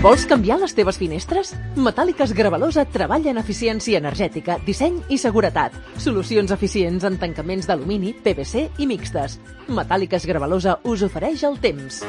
Vols canviar les teves finestres? Metàl·liques Gravalosa treballa en eficiència energètica, disseny i seguretat. Solucions eficients en tancaments d'alumini, PVC i mixtes. Metàl·liques Gravalosa us ofereix el temps.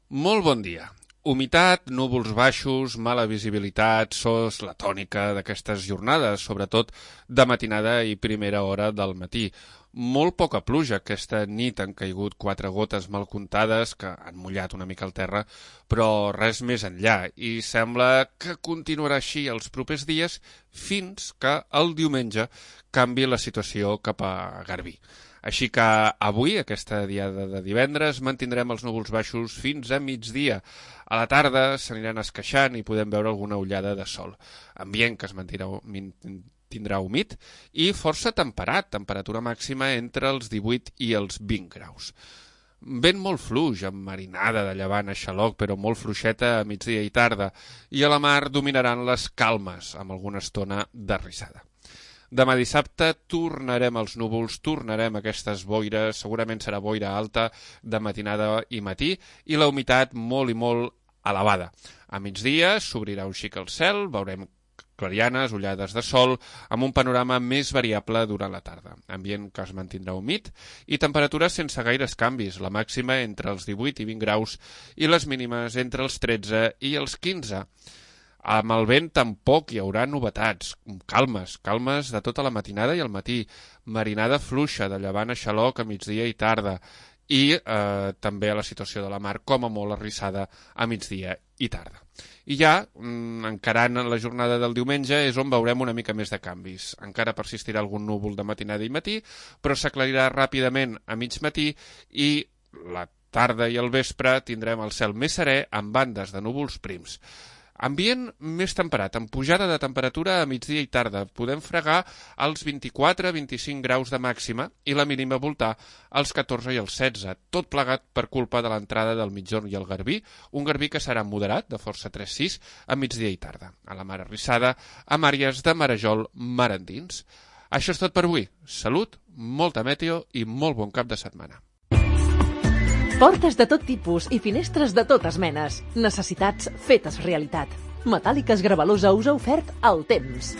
Molt bon dia. Humitat, núvols baixos, mala visibilitat, sos la tònica d'aquestes jornades, sobretot de matinada i primera hora del matí. Molt poca pluja. Aquesta nit han caigut 4 gotes mal comptades que han mullat una mica el terra, però res més enllà. I sembla que continuarà així els propers dies fins que el diumenge canvi la situació cap a Garbí. Així que avui, aquesta diada de divendres, mantindrem els núvols baixos fins a migdia. A la tarda s'aniran esqueixant i podem veure alguna ullada de sol. Ambient que es tindrà humit i força temperat, temperatura màxima entre els 18 i els 20 graus. Vent molt fluix, amb marinada de llevant a xaloc, però molt fluixeta a migdia i tarda, i a la mar dominaran les calmes, amb alguna estona d'arrissada. Demà dissabte tornarem als núvols, tornarem a aquestes boires, segurament serà boira alta de matinada i matí, i la humitat molt i molt elevada. A migdia s'obrirà un xic el cel, veurem clarianes, ullades de sol, amb un panorama més variable durant la tarda. Ambient que es mantindrà humit i temperatures sense gaires canvis, la màxima entre els 18 i 20 graus i les mínimes entre els 13 i els 15. Amb el vent tampoc hi haurà novetats, calmes de tota la matinada i al matí, marinada fluixa de llevant a xaloc a migdia i tarda i també a la situació de la mar com a molt arrissada a migdia i tarda. I ja, encarant la jornada del diumenge, és on veurem una mica més de canvis. Encara persistirà algun núvol de matinada i matí, però s'aclarirà ràpidament a mig matí i la tarda i el vespre tindrem el cel més serè amb bandes de núvols prims. Ambient més temperat, amb pujada de temperatura a migdia i tarda. Podem fregar als 24-25 graus de màxima i la mínima voltar als 14 i als 16, tot plegat per culpa de l'entrada del migjorn i el Garbí, un Garbí que serà moderat, de força 3-6, a migdia i tarda. A la mar arrissada, amb àrees de marejol mar endins. Això és tot per avui. Salut, molta meteo i molt bon cap de setmana. Portes de tot tipus i finestres de totes menes. Necessitats fetes realitat. Metàl·liques Gravalosa us ha ofert el temps.